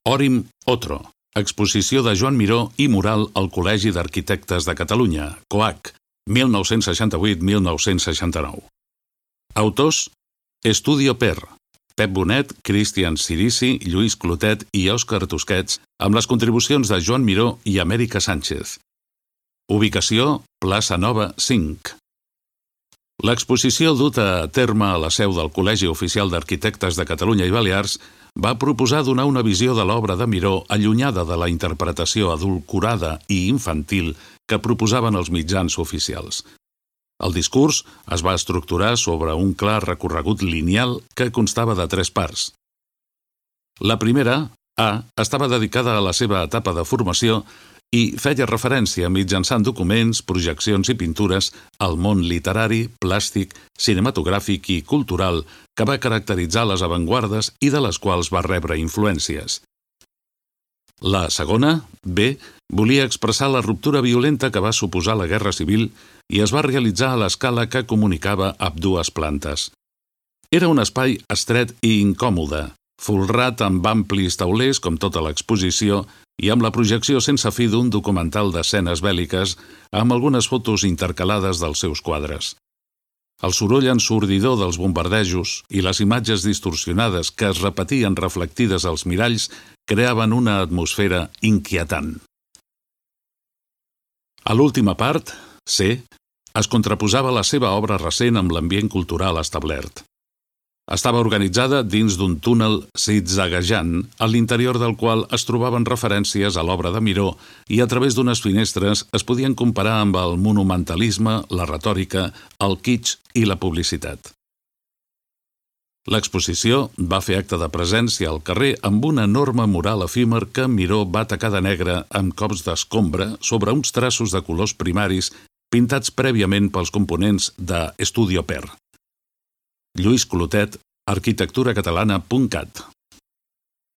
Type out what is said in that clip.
Òrim Otro, exposició de Joan Miró i mural al Col·legi d'Arquitectes de Catalunya, COAC, 1968-1969. Autors: Estudio Per, Pep Bonet, Cristian Cirici, Lluís Clotet i Òscar Tusquets, amb les contribucions de Joan Miró i Amèrica Sánchez. Ubicació: Plaça Nova 5. L'exposició duta a terme a la seu del Col·legi Oficial d'Arquitectes de Catalunya i Balears va proposar donar una visió de l'obra de Miró allunyada de la interpretació adulcorada i infantil que proposaven els mitjans oficials. El discurs es va estructurar sobre un clar recorregut lineal que constava de 3 parts. La primera, A, estava dedicada a la seva etapa de formació i feia referència mitjançant documents, projeccions i pintures al món literari, plàstic, cinematogràfic i cultural que va caracteritzar les avantguardes i de les quals va rebre influències. La segona, B, volia expressar la ruptura violenta que va suposar la Guerra Civil i es va realitzar a l'escala que comunicava ambdues plantes. Era un espai estret i incòmode, folrat amb amplis taulers com tota l'exposició i amb la projecció sense fi d'un documental d'escenes bèl·liques amb algunes fotos intercalades dels seus quadres. El soroll ensordidor dels bombardejos i les imatges distorsionades que es repetien reflectides als miralls creaven una atmosfera inquietant. A l'última part, C, es contraposava la seva obra recent amb l'ambient cultural establert. Estava organitzada dins d'un túnel zigzaguejant, a l'interior del qual es trobaven referències a l'obra de Miró i a través d'unes finestres es podien comparar amb el monumentalisme, la retòrica, el kitsch i la publicitat. L'exposició va fer acte de presència al carrer amb un enorme mural efímer que Miró va tacar de negre amb cops d'escombra sobre uns traços de colors primaris pintats prèviament pels components de Estudio Per. Lluís Clotet, arquitecturacatalana.cat